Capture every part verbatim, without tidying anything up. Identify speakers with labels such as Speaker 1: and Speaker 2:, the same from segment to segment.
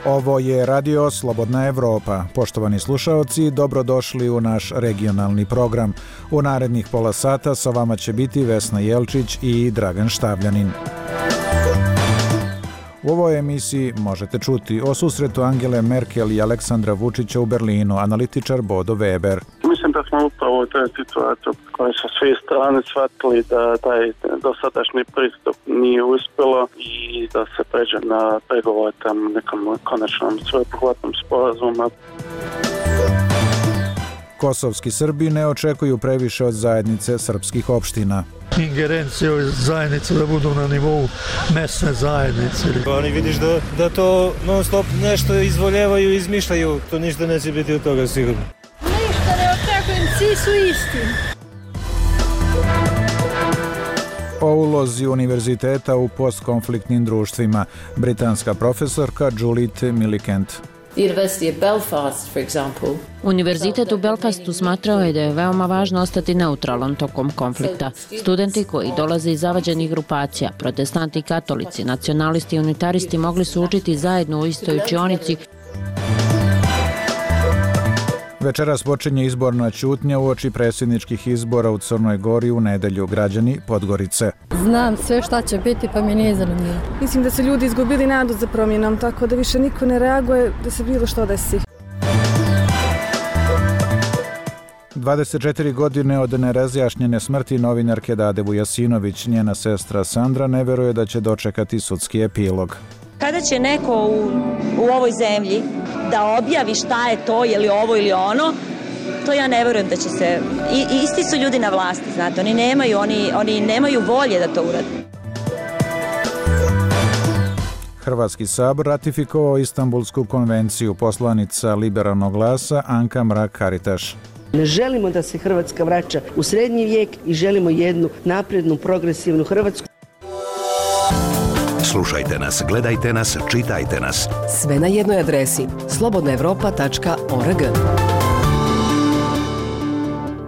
Speaker 1: Ovo je Radio Slobodna Evropa. Poštovani slušaoci, dobrodošli u naš regionalni program. U narednih pola sata sa vama će biti Vesna Jelčić i Dragan Štavljanin. U ovoj emisiji možete čuti o susretu Angele Merkel i Aleksandra Vučića u Berlinu, analitičar Bodo Weber.
Speaker 2: Mislim da smo upravo u toj situaciji koje su svi strane shvatili da taj dosadašnji pristup nije uspjelo i da se pređe na pregovore tam nekom konačnom sveobuhvatnom sporazumu.
Speaker 3: Kosovski Srbi ne očekuju previše od zajednice srpskih opština.
Speaker 4: Ingerencije zajednice da budu na nivou mesne zajednice.
Speaker 5: Oni vidiš da, da to non stop nešto izvoljevaju i izmišljaju, to ništa neće biti od toga sigurno.
Speaker 6: Ništa ne očekujem, svi su isti.
Speaker 3: O ulozi univerziteta u postkonfliktnim društvima, britanska profesorka Judith Millicent.
Speaker 7: Univerzitet u Belfastu smatrao je da je veoma važno ostati neutralan tokom konflikta. Studenti koji dolaze iz zavađenih grupacija, protestanti i katolici, nacionalisti i unitaristi mogli su učiti zajedno u istoj učionici.
Speaker 3: Večeras počinje izborna ćutnja uoči predsjedničkih izbora u Crnoj Gori u nedelju. Građani Podgorice.
Speaker 8: Znam sve šta će biti, pa mi nije zanimljivo.
Speaker 9: Mislim da su ljudi izgubili nadu za promjenom, tako da više niko ne reaguje da se bilo što desi.
Speaker 3: dvadeset četiri godine od nerazjašnjene smrti novinarke Dade Vujasinović, njena sestra Sandra ne veruje da će dočekati sudski epilog.
Speaker 10: Kada će neko u, u ovoj zemlji da objavi šta je to, je li ovo ili ono, to ja ne verujem da će se... I, isti su ljudi na vlasti, znate, oni nemaju, oni, oni nemaju volje da to urade.
Speaker 3: Hrvatski sabor ratifikovao Istanbulsku konvenciju, poslanica Liberalnog glasa Anka Mrak-Taritaš.
Speaker 11: Ne želimo da se Hrvatska vraća u srednji vijek i želimo jednu naprednu, progresivnu Hrvatsku.
Speaker 12: Slušajte nas, gledajte nas, čitajte nas.
Speaker 13: Sve na jednoj adresi slobodna evropa tačka org.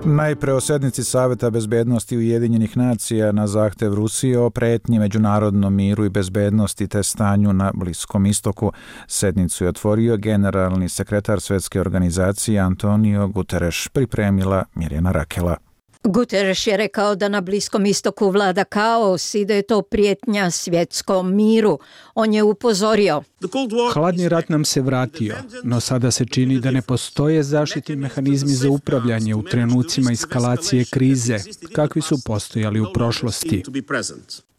Speaker 3: Najpre o sednici Saveta bezbednosti Ujedinjenih nacija na zahtev Rusije o pretnji međunarodnom miru i bezbednosti te stanju na Bliskom istoku. Sednicu je otvorio generalni sekretar Svjetske organizacije Antonio Guterres, pripremila Mirjana Rakela.
Speaker 14: Guterres je rekao da na Bliskom istoku vlada kaos i da je to prijetnja svjetskom miru. On je upozorio.
Speaker 15: Hladni rat nam se vratio, no sada se čini da ne postoje zaštitni mehanizmi za upravljanje u trenucima eskalacije krize, kakvi su postojali u prošlosti.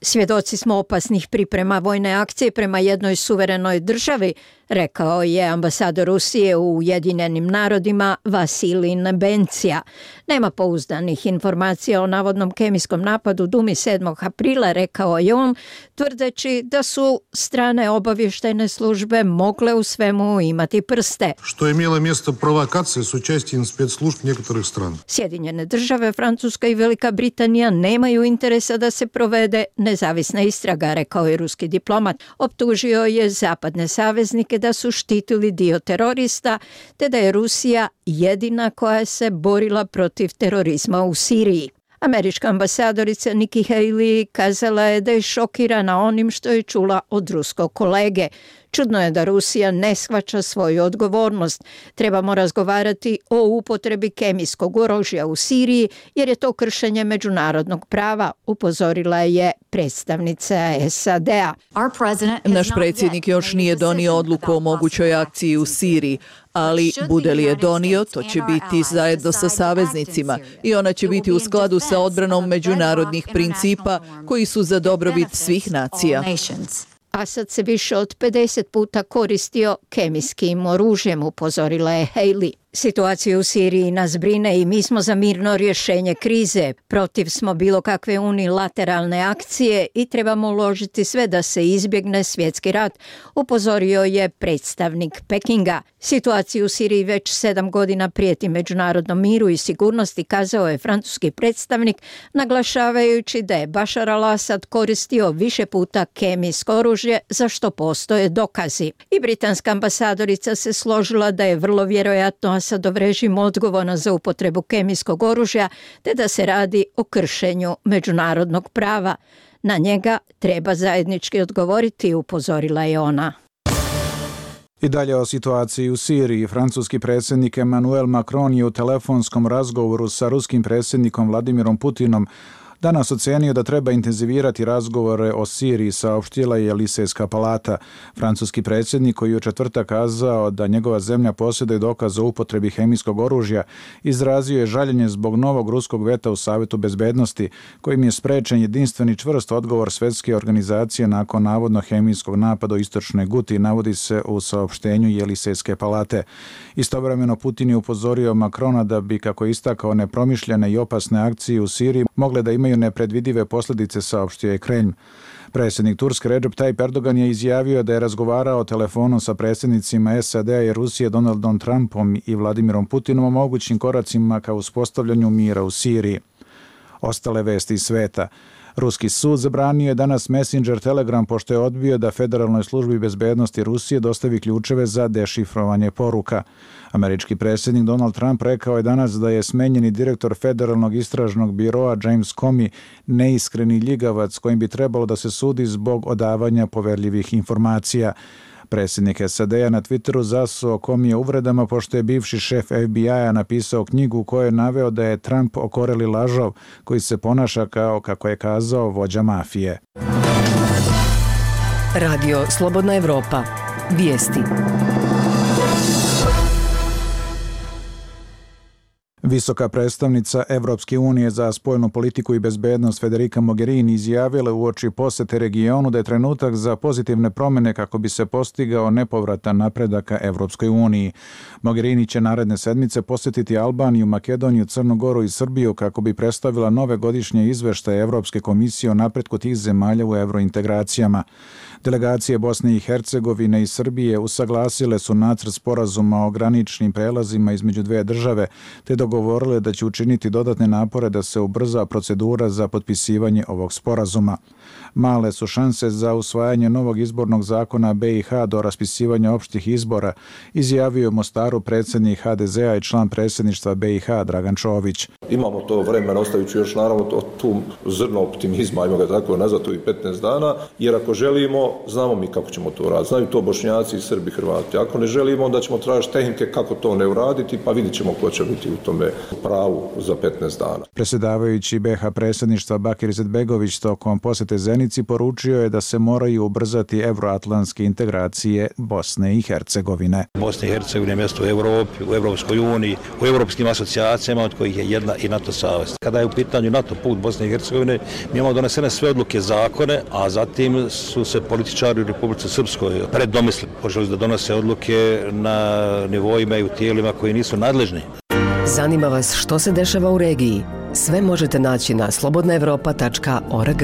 Speaker 14: Svjedoci smo opasnih priprema vojne akcije prema jednoj suverenoj državi, rekao je ambasador Rusije u Ujedinjenim narodima Vasilij Nebencija. Nema pouzdanih informacija o navodnom kemijskom napadu Dumi sedmog aprila, rekao je on, tvrdeći da su strane obavještajne službe mogle u svemu imati prste.
Speaker 16: Što je imelo mjesto provokacije s učešćem spetslužb nekih strana.
Speaker 14: Sjedinjene države, Francuska i Velika Britanija nemaju interesa da se provede nezavisna istraga, rekao je ruski diplomat. Optužio je zapadne saveznike da su štitili dio terorista, te da je Rusija jedina koja se borila protiv terorizma u Siriji. Američka ambasadorica Nikki Haley kazala je da je šokirana onim što je čula od ruskog kolege. Čudno je da Rusija ne shvaća svoju odgovornost. Trebamo razgovarati o upotrebi kemijskog oružja u Siriji jer je to kršenje međunarodnog prava, upozorila je predstavnica S A D-a.
Speaker 17: Naš predsjednik još nije donio odluku o mogućoj akciji u Siriji, ali bude li je donio, to će biti zajedno sa saveznicima i ona će biti u skladu sa odbranom međunarodnih principa koji su za dobrobit svih nacija.
Speaker 14: Asad se više od pedeset puta koristio kemijskim oružjem, upozorila je Haley. Situacija u Siriji nas brine i mi smo za mirno rješenje krize. Protiv smo bilo kakve unilateralne akcije i trebamo uložiti sve da se izbjegne svjetski rat, upozorio je predstavnik Pekinga. Situaciju u Siriji već sedam godina prijeti međunarodnom miru i sigurnosti, kazao je francuski predstavnik, naglašavajući da je Bašar al-Asad koristio više puta kemijsko oružje, za što postoje dokazi. I britanska ambasadorica se složila da je vrlo vjerojatno Asadov režim odgovoran za upotrebu kemijskog oružja, te da se radi o kršenju međunarodnog prava. Na njega treba zajednički odgovoriti, upozorila je ona.
Speaker 1: I dalje o situaciji u Siriji. Francuski predsjednik Emmanuel Macron je u telefonskom razgovoru sa ruskim predsjednikom Vladimirom Putinom danas ocenio da treba intenzivirati razgovore o Siriji, saopštila je Elisejska palata. Francuski predsjednik, koji je u četvrtak kazao da njegova zemlja posjeduje dokaz o upotrebi hemijskog oružja, izrazio je žaljenje zbog novog ruskog veta u Savetu bezbednosti, kojim je sprečen jedinstveni čvrst odgovor Svjetske organizacije nakon navodno hemijskog napada u istočnoj Guti, navodi se u saopštenju Elisejske palate. Istovremeno Putin je upozorio Macrona da bi, kako je istakao, nepromišljene i opasne akcije u Siriji mogle da imaju nepredvidive posljedice, saopštio je Kremlj. Predsjednik Turske Recep Tayyip Erdogan je izjavio da je razgovarao telefonom sa predsjednicima S A D-a i Rusije Donaldom Trumpom i Vladimirom Putinom o mogućim koracima ka uspostavljanju mira u Siriji. Ostale vesti iz sveta. Ruski sud zabranio je danas Messenger Telegram pošto je odbio da Federalnoj službi bezbednosti Rusije dostavi ključeve za dešifrovanje poruka. Američki predsjednik Donald Trump rekao je danas da je smenjeni direktor Federalnog istražnog biroa James Comey neiskreni ljigavac kojim bi trebalo da se sudi zbog odavanja poverljivih informacija. Predsjednik S A D-a na Twitteru zasuo Comey uvredama pošto je bivši šef F B I-a napisao knjigu u kojoj je naveo da je Trump okoreli lažov koji se ponaša kao, kako je kazao, vođa mafije.
Speaker 13: Radio Slobodna Evropa. Vijesti.
Speaker 1: Visoka predstavnica Evropske unije za spoljnu politiku i bezbednost Federica Mogherini izjavila uoči posete regionu da je trenutak za pozitivne promjene kako bi se postigao nepovratan napredak ka Evropskoj uniji. Mogherini će naredne sedmice posjetiti Albaniju, Makedoniju, Crnu Goru i Srbiju kako bi predstavila nove godišnje izveštaje Evropske komisije o napretku tih zemalja u evrointegracijama. Delegacije Bosne i Hercegovine i Srbije usaglasile su nacrt sporazuma o graničnim prelazima između dve države, te dogovorile da će učiniti dodatne napore da se ubrza procedura za potpisivanje ovog sporazuma. Male su šanse za usvajanje novog izbornog zakona B i H do raspisivanja opštih izbora, izjavio u Mostaru predsjednik H D Z-a i član predsjedništva B i H Dragan Čović.
Speaker 18: Imamo to vremena, ostavit ću još naravno to, tu zrno optimizma, ajmo ga tako nazvati, i petnaest dana, jer ako želimo, znamo mi kako ćemo to uraditi. Znaju to Bošnjaci i Srbi, Hrvati. Ako ne želimo, onda ćemo tražiti tehnike kako to ne uraditi, pa vidit ćemo ko će biti u tome pravu za petnaest dana.
Speaker 1: Predsjedavajući B H predsjedništva Bakir Izetbegović tokom posjete Zenici poručio je da se moraju ubrzati evroatlantske integracije Bosne i Hercegovine.
Speaker 19: Bosna i Hercegovina je mjesto u Evropi, u Evropskoj uniji, u evropskim asocijacijama, od kojih je jedna i NATO savez. Kada je u pitanju NATO put Bosne i Hercegovine, mi imamo donesene sve odluke, zakone, a zatim su se političari u Republici Srpskoj predomislili, počeli da donose odluke na nivoima i u tijelima koji nisu nadležni.
Speaker 13: Zanima vas što se dešava u regiji? Sve možete naći na slobodna evropa tačka org.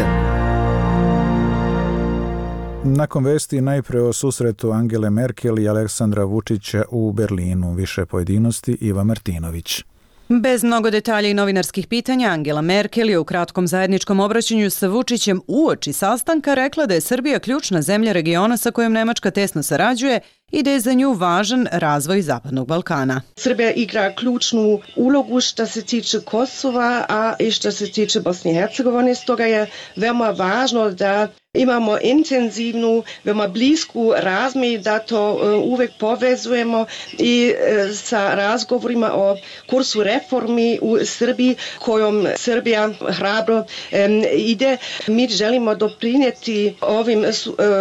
Speaker 1: Nakon vesti najpre o susretu Angele Merkel i Aleksandra Vučića u Berlinu. Više pojedinosti Iva Martinović.
Speaker 20: Bez mnogo detalja i novinarskih pitanja, Angela Merkel je u kratkom zajedničkom obraćanju sa Vučićem uoči sastanka rekla da je Srbija ključna zemlja regiona sa kojom Nemačka tesno sarađuje i da je za nju važan razvoj Zapadnog Balkana.
Speaker 21: Srbija igra ključnu ulogu što se tiče Kosova, a i što se tiče Bosne i Hercegovine. Stoga je veoma važno da imamo intenzivnu, veoma blisku razmjenu, da to uvek povezujemo i sa razgovorima o kursu reformi u Srbiji, kojom Srbija hrabro ide. Mi želimo doprinijeti ovim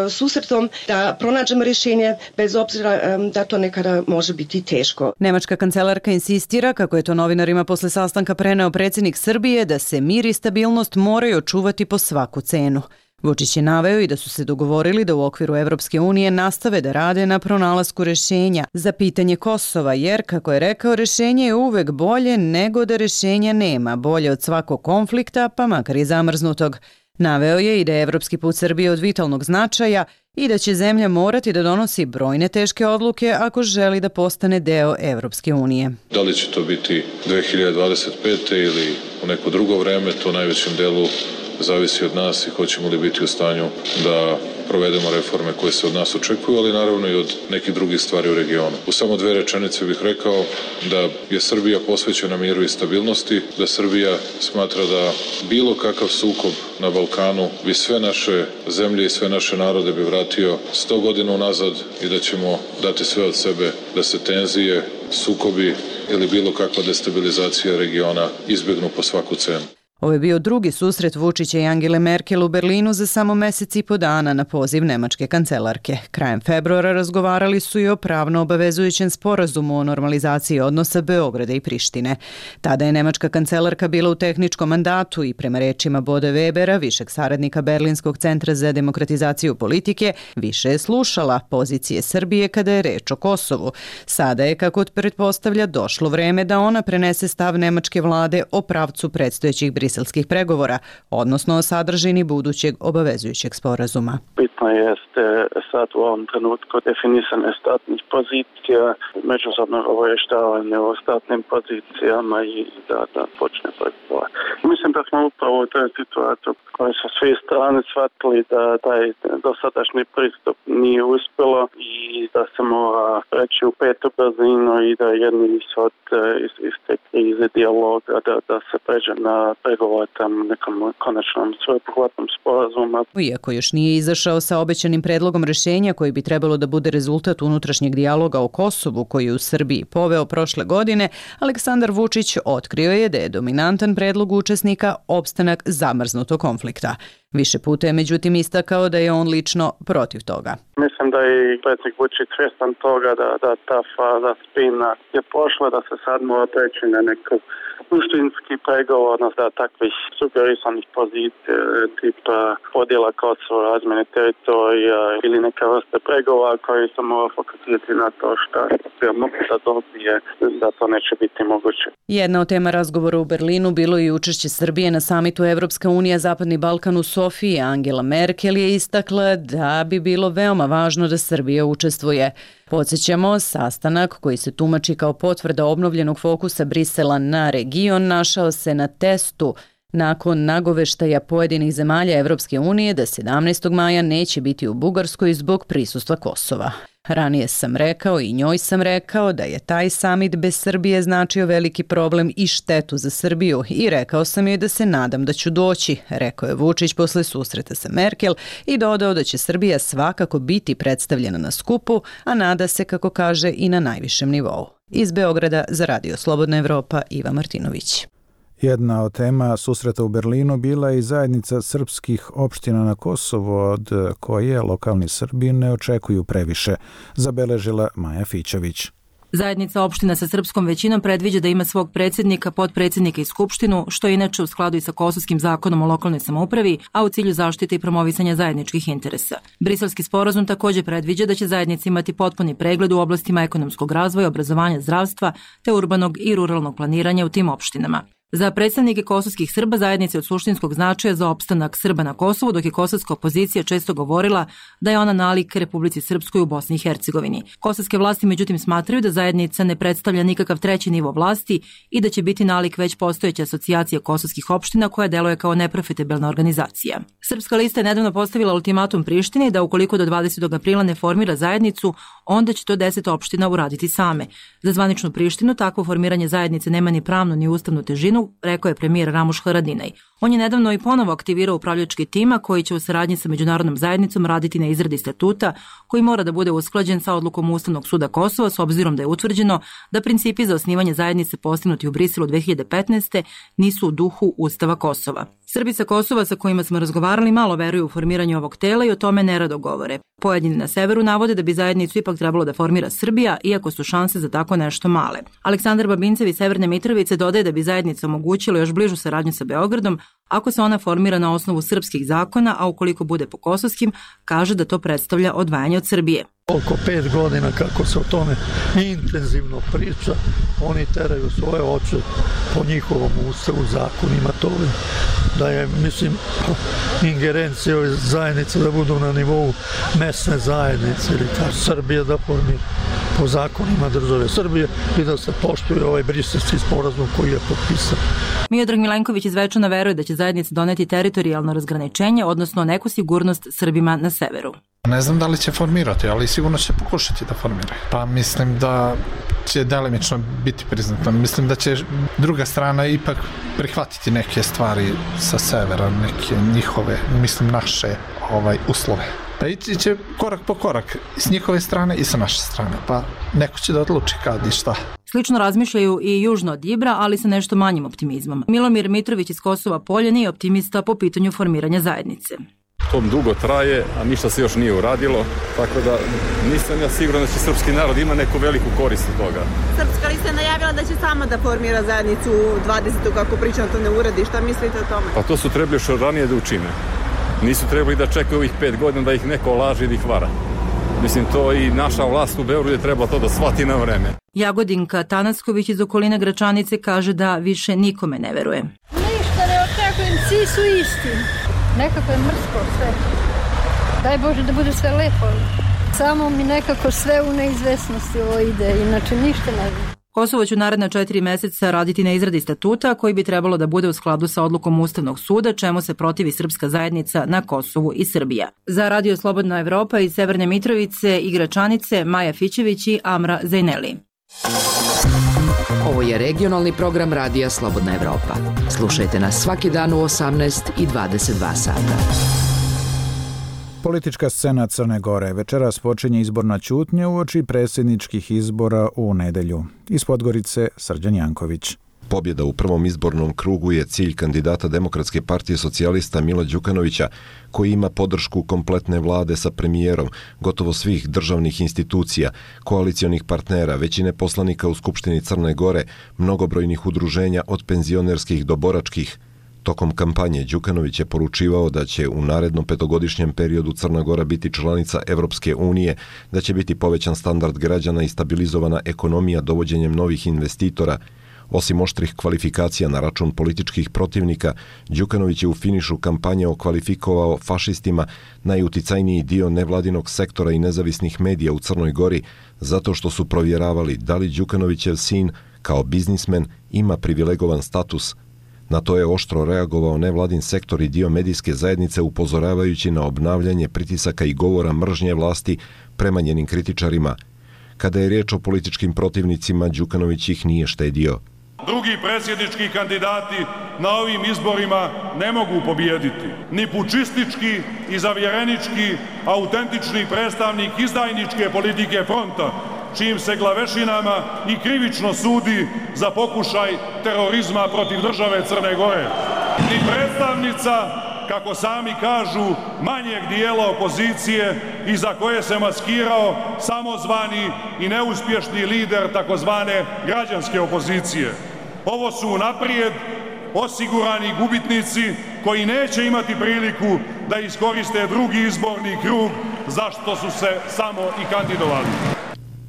Speaker 21: susretom da pronađemo rješenje, bez obzira da to nekada može biti teško.
Speaker 20: Nemačka kancelarka insistira, kako je to novinarima posle sastanka preneo predsjednik Srbije, da se mir i stabilnost moraju očuvati po svaku cenu. Vučić je naveo i da su se dogovorili da u okviru Evropske unije nastave da rade na pronalasku rješenja za pitanje Kosova, jer, kako je rekao, rješenje je uvek bolje nego da rješenja nema, bolje od svakog konflikta, pa makar i zamrznutog. Naveo je i da je evropski put Srbije od vitalnog značaja i da će zemlja morati da donosi brojne teške odluke ako želi da postane deo Evropske unije.
Speaker 22: Da li će to biti dve hiljade dvadeset pete ili u neko drugo vreme, to u najvećem delu zavisi od nas i hoćemo li biti u stanju da provedemo reforme koje se od nas očekuju, ali naravno i od nekih drugih stvari u regionu. U samo dve rečenice bih rekao da je Srbija posvećena miru i stabilnosti, da Srbija smatra da bilo kakav sukob na Balkanu bi sve naše zemlje i sve naše narode bi vratio sto godina unazad i da ćemo dati sve od sebe da se tenzije, sukobi ili bilo kakva destabilizacija regiona izbjegnu po svaku cenu.
Speaker 20: Ovo je bio drugi susret Vučića i Angele Merkel u Berlinu za samo mesec i po dana na poziv nemačke kancelarke. Krajem februara razgovarali su i o pravno obavezujućem sporazumu o normalizaciji odnosa Beograda i Prištine. Tada je nemačka kancelarka bila u tehničkom mandatu i prema rečima Bode Webera, višeg saradnika Berlinskog centra za demokratizaciju politike, više je slušala pozicije Srbije kada je reč o Kosovu. Sada je, kako pretpostavlja, došlo vreme da ona prenese stav nemačke vlade o pravcu predstojećih briselskih pregovora, odnosno o sadržini budućeg obavezujućeg sporazuma.
Speaker 2: Bitno jeste sad u ovom trenutku definisane statnih pozicija, međusobno obavještavanje o statnim pozicijama i da, da počne pregovor. Mislim da smo upravo u toj situaciji koje su svi strane shvatili da taj dosadašnji pristup nije uspjelo i da se mora preći u petu brzinu i da jedni ishod iz, iz te krize dijaloga da, da se pređe na pregovor tam nekom konačnom sveobuhvatnom sporazumu.
Speaker 20: Iako još nije izašao sa obećanim predlogom rješenja koji bi trebalo da bude rezultat unutrašnjeg dijaloga o Kosovu koji je u Srbiji poveo prošle godine, Aleksandar Vučić otkrio je da je dominantan predlog učesnika opstanak zamrznutog konflikta. Više puta je međutim istakao da je on lično protiv toga.
Speaker 2: Mislim da je i predsjednik Vučić svjestan toga da, da ta faza spina je prošla, da se sad mora preći na neku suštinski pregovor, odnosno da takvih sugerisanih pozicija tipa podjela Kosova, razmjene teritorija ili neka vrste pregovora koji se mora fokusirati na to što se mogu da dobije, da to neće biti moguće.
Speaker 20: Jedna od tema razgovora u Berlinu bilo i učešće Srbije na samitu Evropska unija Zapadni Balkan u Sofiji. Angela Merkel je istakla da bi bilo veoma važno da Srbija učestvuje. Podsjećamo, sastanak koji se tumači kao potvrda obnovljenog fokusa Brisela na region našao se na testu nakon nagoveštaja pojedinih zemalja Evropske unije da sedamnaestog maja neće biti u Bugarskoj zbog prisustva Kosova. Ranije sam rekao i njoj sam rekao da je taj samit bez Srbije značio veliki problem i štetu za Srbiju i rekao sam joj da se nadam da ću doći, rekao je Vučić posle susreta sa Merkel i dodao da će Srbija svakako biti predstavljena na skupu, a nada se, kako kaže, i na najvišem nivou. Iz Beograda za Radio Slobodna Evropa, Iva Martinović.
Speaker 3: Jedna od tema susreta u Berlinu bila je i zajednica srpskih opština na Kosovu, od koje lokalni Srbi ne očekuju previše, zabeležila Maja Fićović.
Speaker 4: Zajednica opština sa srpskom većinom predviđa da ima svog predsjednika, potpredsjednika i skupštinu, što je inače u skladu i sa Kosovskim zakonom o lokalnoj samoupravi, a u cilju zaštite i promovisanja zajedničkih interesa. Briselski sporazum također predviđa da će zajednica imati potpuni pregled u oblastima ekonomskog razvoja, obrazovanja, zdravstva te urbanog i ruralnog planiranja u tim opštinama. Za predstavnike kosovskih Srba zajednice od suštinskog značaja za opstanak Srba na Kosovu, dok je kosovska opozicija često govorila da je ona nalik Republici Srpskoj u Bosni i Hercegovini. Kosovske vlasti međutim smatraju da zajednica ne predstavlja nikakav treći nivo vlasti i da će biti nalik već postojeća asocijacija kosovskih opština koja deluje kao neprofitabilna organizacija. Srpska lista je nedavno postavila ultimatum Prištini da ukoliko do dvadesetog aprila ne formira zajednicu, onda će to deset opština uraditi same. Za zvaničnu Prištinu takvo formiranje zajednice nema ni pravnu ni ustavnu težinu, rekao je premijer Ramuš Haradinaj. On je nedavno i ponovo aktivirao upravljački tima koji će u saradnji sa međunarodnom zajednicom raditi na izradi statuta koji mora da bude usklađen sa odlukom Ustavnog suda Kosova s obzirom da je utvrđeno da principi za osnivanje zajednice postignuti u Briselu dve hiljade petnaeste. nisu u duhu Ustava Kosova. Srbi sa Kosova sa kojima smo razgovarali malo veruju u formiranje ovog tela i o tome nerado govore. Pojedini na severu navode da bi zajednicu ipak trebalo da formira Srbija, iako su šanse za tako nešto male. Aleksandar Babincev iz Severne Mitrovice dodaje da bi zajednica omogućila još bližu saradnju sa Beogradom ako se ona formira na osnovu srpskih zakona, a ukoliko bude po kosovskim, kaže da to predstavlja odvajanje od Srbije.
Speaker 23: Oko pet godina kako se o tome intenzivno priča, oni teraju svoje oče po njihovom ustavu, zakonima toga, da je, mislim, ingerencija ove zajednice da budu na nivou mesne zajednice ili kao Srbije da formira. po zakonima države Srbije i da se poštuje ovaj briselski sporazum koji je potpisan.
Speaker 4: Miodrag Milenković iz Zvečana veruje da će zajednica doneti teritorijalno razgraničenje, odnosno neku sigurnost Srbima na severu.
Speaker 5: Ne znam da li će formirati, ali sigurno će pokušati da formiraju. Pa mislim da će delimično biti priznato. Mislim da će druga strana ipak prihvatiti neke stvari sa severa, neke njihove, mislim naše ovaj, uslove. Pa ići će korak po korak s njihove strane i sa naše strane. Pa neko će da odluči kad i šta.
Speaker 4: Slično razmišljaju i južno od Ibra, ali sa nešto manjim optimizmom. Milomir Mitrović iz Kosova Polja nije optimista po pitanju formiranja zajednice.
Speaker 6: To dugo traje, a ništa se još nije uradilo, tako da nisam ja siguran da će srpski narod ima neku veliku korist od toga.
Speaker 7: Srpska lista je najavila da će sama da formira zajednicu dvadesetog kako pričam to ne uradi. Šta mislite o tome?
Speaker 6: Pa to su trebali što ranije da učine. Nisu trebali da čekaju ovih pet godina da ih neko laže i da ih vara. Mislim, to i naša vlast u Beogradu je trebala to da shvati na vreme.
Speaker 4: Jagodinka Tanasković iz okoline Gračanice kaže da više nikome ne veruje.
Speaker 8: Ništa ne očekujem, svi su isti. Nekako je mrsko sve. Daj Bože da bude sve lepo. Samo mi nekako sve u neizvesnosti ovo ide, inače ništa ne znam.
Speaker 4: Kosovo će u naredna četiri meseca raditi na izradi statuta koji bi trebalo da bude u skladu sa odlukom Ustavnog suda, čemu se protivi srpska zajednica na Kosovu i Srbija. Za Radio Slobodna Evropa iz Severne Mitrovice i Gračanice, Maja Fićević i Amra Zejneli.
Speaker 24: Ovo je regionalni program Radija Slobodna Evropa. Slušajte nas svaki dan u osamnaest i dvadeset dva sata.
Speaker 3: Politička scena Crne Gore. Večeras počinje izborna ćutnja uoči predsjedničkih izbora u nedelju. Iz Podgorice, Srđan Janković.
Speaker 25: Pobjeda u prvom izbornom krugu je cilj kandidata Demokratske partije socijalista Mila Đukanovića, koji ima podršku kompletne vlade sa premijerom, gotovo svih državnih institucija, koalicionih partnera, većine poslanika u Skupštini Crne Gore, mnogobrojnih udruženja od penzionerskih do boračkih. Tokom kampanje Đukanović je poručivao da će u narednom petogodišnjem periodu Crna Gora biti članica Evropske unije, da će biti povećan standard građana i stabilizovana ekonomija dovođenjem novih investitora. Osim oštrih kvalifikacija na račun političkih protivnika, Đukanović je u finišu kampanje okvalifikovao fašistima najuticajniji dio nevladinog sektora i nezavisnih medija u Crnoj Gori, zato što su provjeravali da li Đukanovićev sin, kao biznismen, ima privilegovan status. Na to je oštro reagovao nevladin sektor i dio medijske zajednice, upozoravajući na obnavljanje pritisaka i govora mržnje vlasti prema njenim kritičarima. Kada je riječ o političkim protivnicima, Đukanović ih nije štedio.
Speaker 26: Drugi predsjednički kandidati na ovim izborima ne mogu pobijediti. Ni pučistički i zavjerenički, autentični predstavnik izdajničke politike fronta, čijim se glavešinama i krivično sudi za pokušaj terorizma protiv države Crne Gore. Ni predstavnica, kako sami kažu, manjeg dijela opozicije iza koje se maskirao samozvani i neuspješni lider takozvane građanske opozicije. Ovo su unaprijed osigurani gubitnici koji neće imati priliku da iskoriste drugi izborni krug za što su se samo i kandidovali.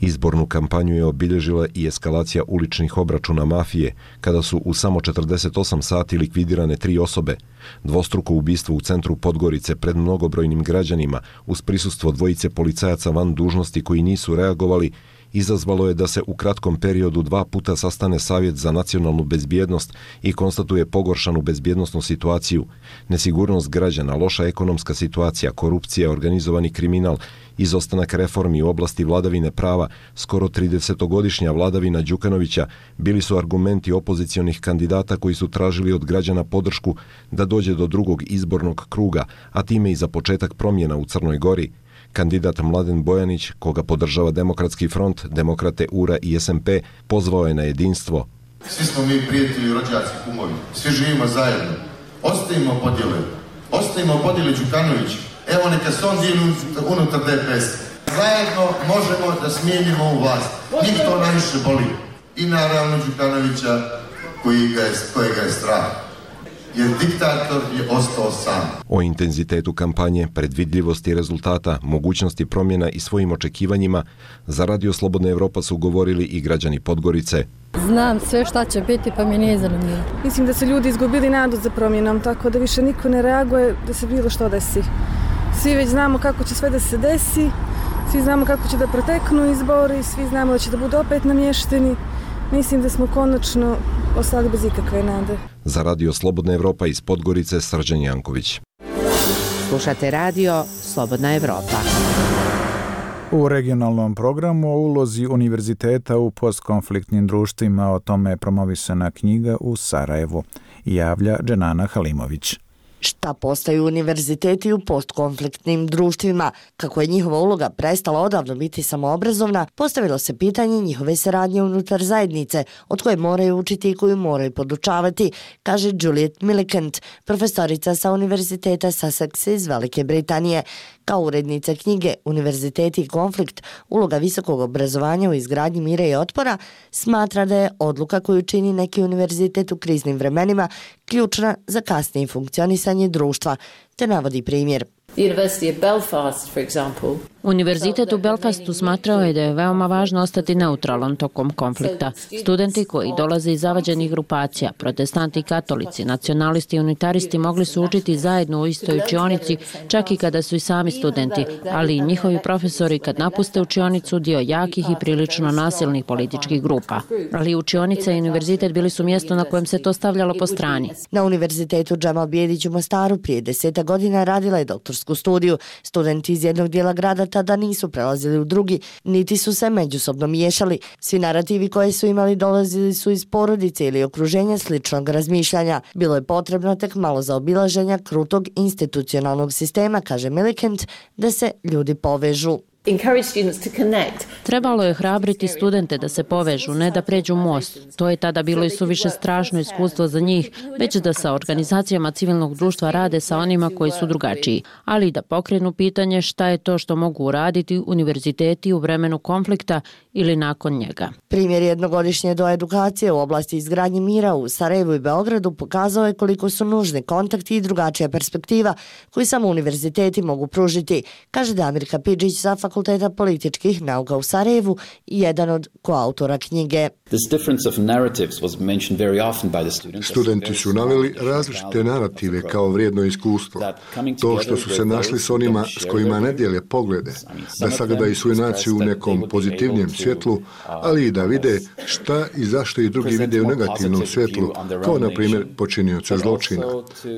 Speaker 25: Izbornu kampanju je obilježila i eskalacija uličnih obračuna mafije, kada su u samo četrdeset osam sati likvidirane tri osobe. Dvostruko ubistvo u centru Podgorice pred mnogobrojnim građanima, uz prisustvo dvojice policajaca van dužnosti koji nisu reagovali, izazvalo je da se u kratkom periodu dva puta sastane Savjet za nacionalnu bezbjednost i konstatuje pogoršanu bezbjednosnu situaciju. Nesigurnost građana, loša ekonomska situacija, korupcija, organizovani kriminal, izostanak reformi u oblasti vladavine prava, skoro tridesetogodišnja vladavina Đukanovića bili su argumenti opozicionih kandidata koji su tražili od građana podršku da dođe do drugog izbornog kruga, a time i za početak promjena u Crnoj Gori. Kandidat Mladen Bojanić, koga podržava Demokratski front, Demokrate U R A i S M P, pozvao je na jedinstvo.
Speaker 27: Svi smo mi prijatelji, rođaci, kumovi. Svi živimo zajedno. Ostavimo podjele. Ostavimo podjele Đukanović. Evo neka se on dijeli unutar D P S. Zajedno možemo da smijenimo ovu vlast. Njih to najviše boli. I naravno Đukanovića koji ga je, kojega je strah. Jer diktator je ostao sam.
Speaker 25: O intenzitetu kampanje, predvidljivosti rezultata, mogućnosti promjena i svojim očekivanjima za Radio Slobodna Evropa su govorili i građani Podgorice.
Speaker 8: Znam sve šta će biti, pa mi nije zanimljivo.
Speaker 9: Mislim da su ljudi izgubili nadu za promjenom, tako da više niko ne reaguje da se bilo što desi. Svi već znamo kako će sve da se desi Svi znamo kako će da proteknu izbori, svi znamo da će da budu opet namješteni. Mislim da smo konačno ostali bez ikakve nade.
Speaker 25: Za Radio Slobodna Evropa iz Podgorice, Srđan Janković.
Speaker 24: Slušate radio Slobodna Evropa.
Speaker 1: U regionalnom programu o ulozi univerziteta u postkonfliktnim društvima, o tome je promovisana knjiga u Sarajevu, javlja Dženana Halimović.
Speaker 10: Šta postaju univerziteti u postkonfliktnim društvima? Kako je njihova uloga prestala odavno biti samoobrazovna, postavilo se pitanje njihove saradnje unutar zajednice, od koje moraju učiti i koju moraju podučavati, kaže Juliet Millicent, profesorica sa Univerziteta Sussex iz Velike Britanije. Kao urednica knjige Univerziteti i konflikt, uloga visokog obrazovanja u izgradnji mira i otpora, smatra da je odluka koju čini neki univerzitet u kriznim vremenima ključna za kasnije funkcionisanje društva, te navodi primjer.
Speaker 11: Univerzitet u Belfastu smatrao je da je veoma važno ostati neutralan tokom konflikta. Studenti koji dolaze iz zavađenih grupacija, protestanti i katolici, nacionalisti i unitaristi mogli su učiti zajedno u istoj učionici, čak i kada su i sami studenti, ali i njihovi profesori kad napuste učionicu dio jakih i prilično nasilnih političkih grupa. Ali učionica i univerzitet bili su mjesto na kojem se to stavljalo po strani.
Speaker 10: Na Univerzitetu Džemal Bijedić u Mostaru prije deseta godina radila je doktorsku studiju. Studenti iz jednog dijela grada tada nisu prelazili u drugi, niti su se međusobno miješali. Svi narativi koje su imali dolazili su iz porodice ili okruženja sličnog razmišljanja. Bilo je potrebno tek malo zaobilaženja krutog institucionalnog sistema, kaže Millicent, da se ljudi povežu.
Speaker 11: Trebalo je hrabriti studente da se povežu, ne da pređu most. To je tada bilo i suviše strašno iskustvo za njih, već da sa organizacijama civilnog društva rade sa onima koji su drugačiji, ali da pokrenu pitanje šta je to što mogu uraditi univerziteti u vremenu konflikta ili nakon njega.
Speaker 10: Primjer jednogodišnje doedukacije u oblasti izgradnje mira u Sarajevu i Beogradu pokazao je koliko su nužni kontakti i drugačija perspektiva koju samo univerziteti mogu pružiti, kaže Damir Kapidžić sa Fakulteta političkih nauka u Sarajevu i jedan od koautora knjige.
Speaker 12: Studenti su naveli različite narative kao vrijedno iskustvo. To što su se našli s onima s kojima ne dijele poglede, da sagledaju svoju naciju u nekom pozitivnijem svjetlu, ali i da vide šta i zašto i drugi vide u negativnom svjetlu, kao na primjer počinioca zločina.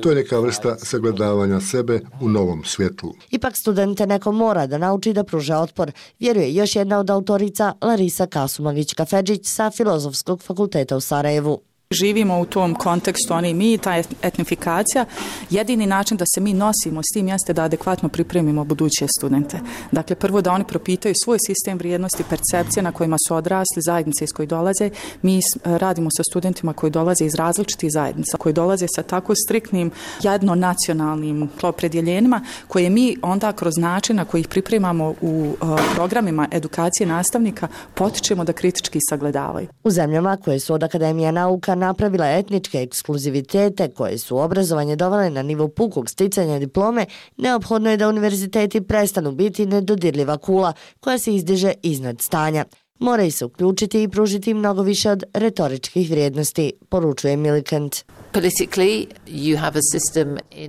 Speaker 12: To je neka vrsta sagledavanja sebe u novom svjetlu.
Speaker 10: Ipak studente neko mora da nauči da pruža otpor, vjeruje još jedna od autorica Larisa Kasumagić-Kafedžić sa Filozofskog fakulteta u Sarajevu.
Speaker 14: Živimo u tom kontekstu, oni mi, ta etnifikacija. Jedini način da se mi nosimo s tim jeste da adekvatno pripremimo buduće studente. Dakle, prvo da oni propitaju svoj sistem vrijednosti, percepcije na kojima su odrasli, zajednice iz koje dolaze. Mi radimo sa studentima koji dolaze iz različitih zajednica, koji dolaze sa tako striktnim jednonacionalnim opredjeljenjima, koje mi onda kroz način na koji ih pripremamo u uh, programima edukacije nastavnika potičemo da kritički sagledavaju.
Speaker 10: U zemljama koje su od Akademija nauka napravila etničke ekskluzivitete koje su obrazovanje dovele na nivo pukog sticanja diplome, neophodno je da univerziteti prestanu biti nedodirljiva kula koja se izdiže iznad stanja. Moraju se uključiti i pružiti mnogo više od retoričkih vrijednosti, poručuje Millicent.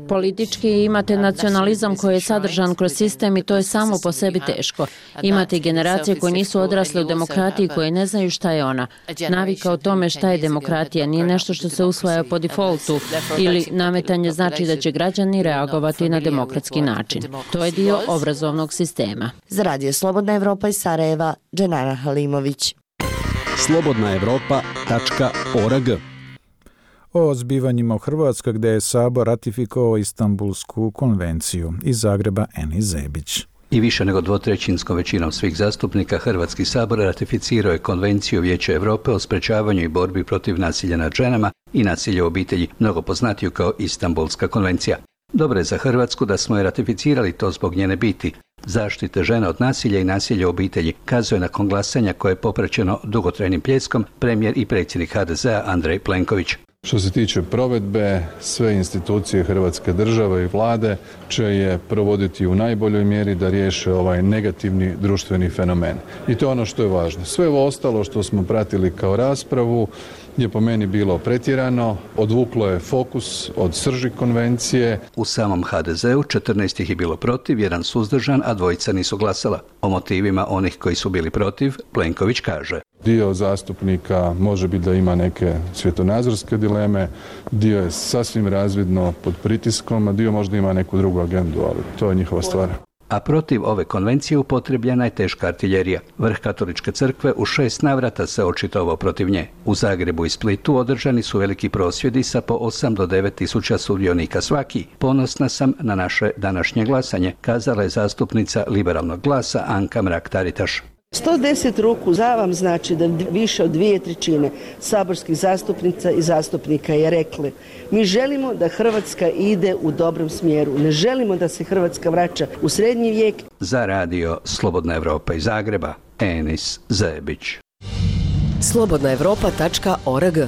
Speaker 11: Politički imate nacionalizam koji je sadržan kroz sistem i to je samo po sebi teško. Imate generacije koje nisu odrasle u demokratiji, koje ne znaju šta je ona. Navika o tome šta je demokratija nije nešto što se usvaja po defaultu ili nametanje znači da će građani reagovati na demokratski način. To je dio obrazovnog sistema.
Speaker 10: Za Radio Slobodna Evropa iz Sarajeva, Dženana Halimović.
Speaker 15: slobodna evropa tačka org.
Speaker 1: O zbivanjima u Hrvatskoj gdje je Sabor ratifikovao Istanbulsku konvenciju. Iz Zagreba Eni Zebić.
Speaker 15: I više nego dvotrećinskom većinom svih zastupnika Hrvatski sabor ratificirao je Konvenciju Vijeća Europe o sprečavanju i borbi protiv nasilja nad ženama i nasilja u obitelji, mnogo poznatiju kao Istanbulska konvencija. Dobro je za Hrvatsku da smo je ratificirali to zbog njene biti, zaštite žena od nasilja i nasilja u obitelji, kazuje nakon glasanja koje je popraćeno dugotrajnim pljeskom premijer i predsjednik ha de zea Andrej Plenković.
Speaker 16: Što se tiče provedbe, sve institucije Hrvatske države i vlade će je provoditi u najboljoj mjeri da riješe ovaj negativni društveni fenomen. I to je ono što je važno. Sve ovo ostalo što smo pratili kao raspravu je po meni bilo pretjerano, odvuklo je fokus od srži konvencije.
Speaker 15: U samom ha de zeu četrnaest ih je bilo protiv, jedan suzdržan, a dvojica nisu glasala. O motivima onih koji su bili protiv, Plenković kaže:
Speaker 16: Dio zastupnika može biti da ima neke svjetonazorske dileme, dio je sasvim razvidno pod pritiskom, a dio možda ima neku drugu agendu, ali to je njihova stvar.
Speaker 15: A protiv ove konvencije upotrebljena je teška artiljerija. Vrh katoličke crkve u šest navrata se očitovao protiv nje. U Zagrebu i Splitu održani su veliki prosvjedi sa po osam do devet tisuća sudionika svaki. Ponosna sam na naše današnje glasanje, kazala je zastupnica Liberalnog glasa Anka Mrak-Taritaš.
Speaker 2: sto deset ruku za vam znači da više od dvije trećine saborskih zastupnica i zastupnika je rekli: mi želimo da Hrvatska ide u dobrom smjeru, ne želimo da se Hrvatska vraća u srednji vijek.
Speaker 15: Za radio Slobodna Evropa iz Zagreba, Enis Zebić.
Speaker 13: slobodna evropa tačka org.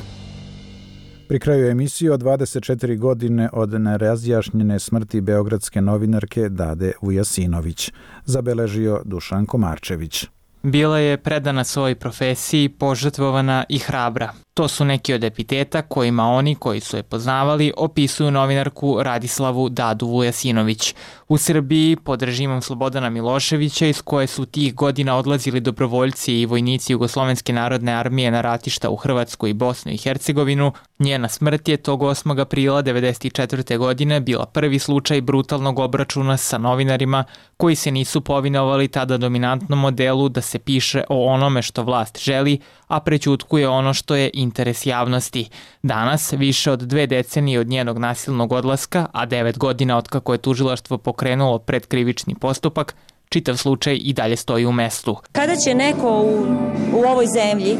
Speaker 3: Pri kraju emisije o dvadeset četiri godine od nerazjašnjene smrti beogradske novinarke Dade Vujasinović, zabeležio Dušan Komarčević.
Speaker 17: Bila je predana svojoj profesiji, požrtvovana i hrabra. To su neki od epiteta kojima oni koji su je poznavali opisuju novinarku Radislavu Dadu Vujasinović. U Srbiji, pod režimom Slobodana Miloševića, iz koje su tih godina odlazili dobrovoljci i vojnici Jugoslovenske narodne armije na ratišta u Hrvatsku i Bosnu i Hercegovinu, njena smrt je tog osmog aprila devedeset četvrte. godine bila prvi slučaj brutalnog obračuna sa novinarima koji se nisu povinovali tada dominantnom modelu da se piše o onome što vlast želi, a prećutkuje ono što je interes javnosti. Danas, više od dve decenije od njenog nasilnog odlaska, a devet godina od kako je tužilaštvo pokrenulo predkrivični postupak, čitav slučaj i dalje stoji u mestu.
Speaker 18: Kada će neko u, u ovoj zemlji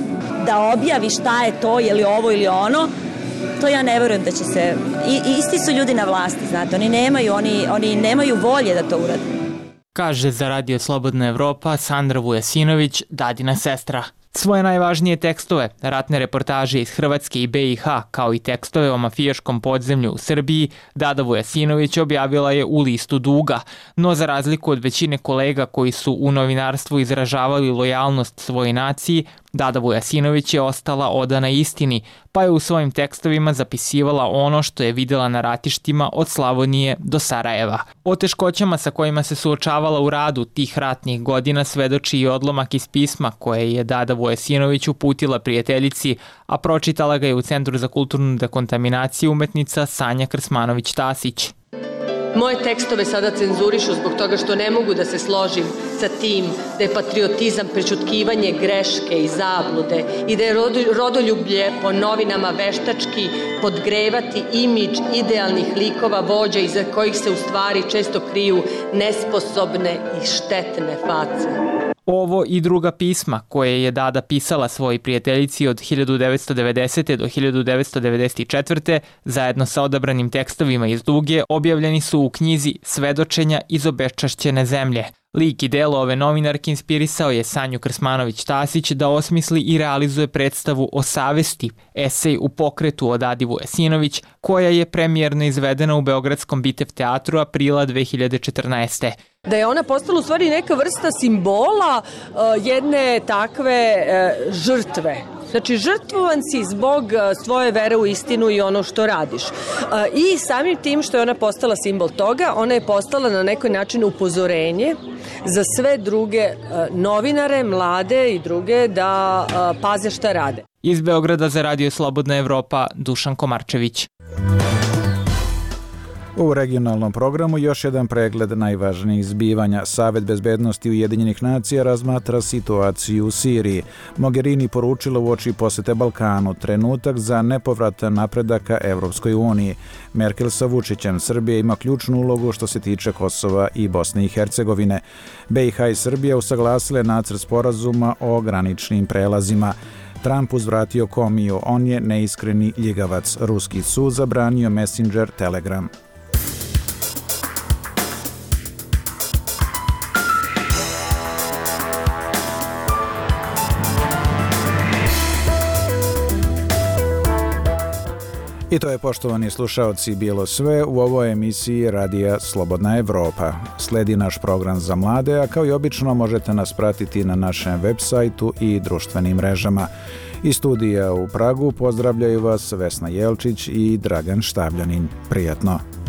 Speaker 18: da objavi šta je to, je li ovo ili ono, to ja ne verujem da će se... I, isti su ljudi na vlasti, znate, oni nemaju, oni, oni nemaju volje da to urade.
Speaker 17: Kaže za radio Slobodna Evropa Sandra Vujasinović, Dadina sestra. Svoje najvažnije tekstove, ratne reportaže iz Hrvatske i be i ha, kao i tekstove o mafijaškom podzemlju u Srbiji, Dada Vujasinović objavila je u listu duga, no za razliku od većine kolega koji su u novinarstvu izražavali lojalnost svojoj naciji, Dada Vujasinović je ostala odana istini, pa je u svojim tekstovima zapisivala ono što je videla na ratištima od Slavonije do Sarajeva. O teškoćama sa kojima se suočavala u radu tih ratnih godina svedoči i odlomak iz pisma koje je Dada Vujasinović uputila prijateljici, a pročitala ga je u Centru za kulturnu dekontaminaciju umetnica Sanja Krsmanović-Tasić.
Speaker 19: Moje tekstove sada cenzurišu zbog toga što ne mogu da se složim sa tim da je patriotizam prećutkivanje greške i zablude i da je rodoljublje po novinama veštački podgrevati imidž idealnih likova vođa iza kojih se u stvari često kriju nesposobne i štetne face.
Speaker 17: Ovo i druga pisma koje je Dada pisala svojoj prijateljici od hiljadu devetsto devedesete. do hiljadu devetsto devedeset četvrte. zajedno sa odabranim tekstovima iz duge objavljeni su u knjizi Svedočenja iz obeščašćene zemlje. Lik i delo ove novinarke inspirisao je Sanju Krsmanović-Tasić da osmisli i realizuje predstavu o savesti, esej u pokretu o Dadi Vujasinović, koja je premijerno izvedena u Beogradskom Bitev teatru aprila dve hiljade četrnaeste.
Speaker 19: Da je ona postala u stvari neka vrsta simbola uh, jedne takve uh, žrtve. Znači, žrtvovan si zbog svoje vere u istinu i ono što radiš. I samim tim što je ona postala simbol toga, ona je postala na neki način upozorenje za sve druge novinare, mlade i druge da paze šta rade.
Speaker 17: Iz Beograda za radio Slobodna Evropa, Dušan Komarčević.
Speaker 3: U regionalnom programu još jedan pregled najvažnijih zbivanja. Savet bezbednosti Ujedinjenih nacija razmatra situaciju u Siriji. Mogherini poručila uoči posete Balkanu trenutak za nepovratan napredak ka Evropskoj uniji. Merkel sa Vučićem. Srbija ima ključnu ulogu što se tiče Kosova i Bosne i Hercegovine. be i ha i Srbija usaglasile nacrt sporazuma o graničnim prelazima. Trump uzvratio Komiju. On je neiskreni ljigavac. Ruski sud zabranio Messenger Telegram. I to je, poštovani slušaoci, bilo sve u ovoj emisiji Radija Slobodna Evropa. Sledi naš program za mlade, a kao i obično možete nas pratiti na našem web sajtu i društvenim mrežama. Iz studija u Pragu pozdravljaju vas Vesna Jelčić i Dragan Štavljanin. Prijatno!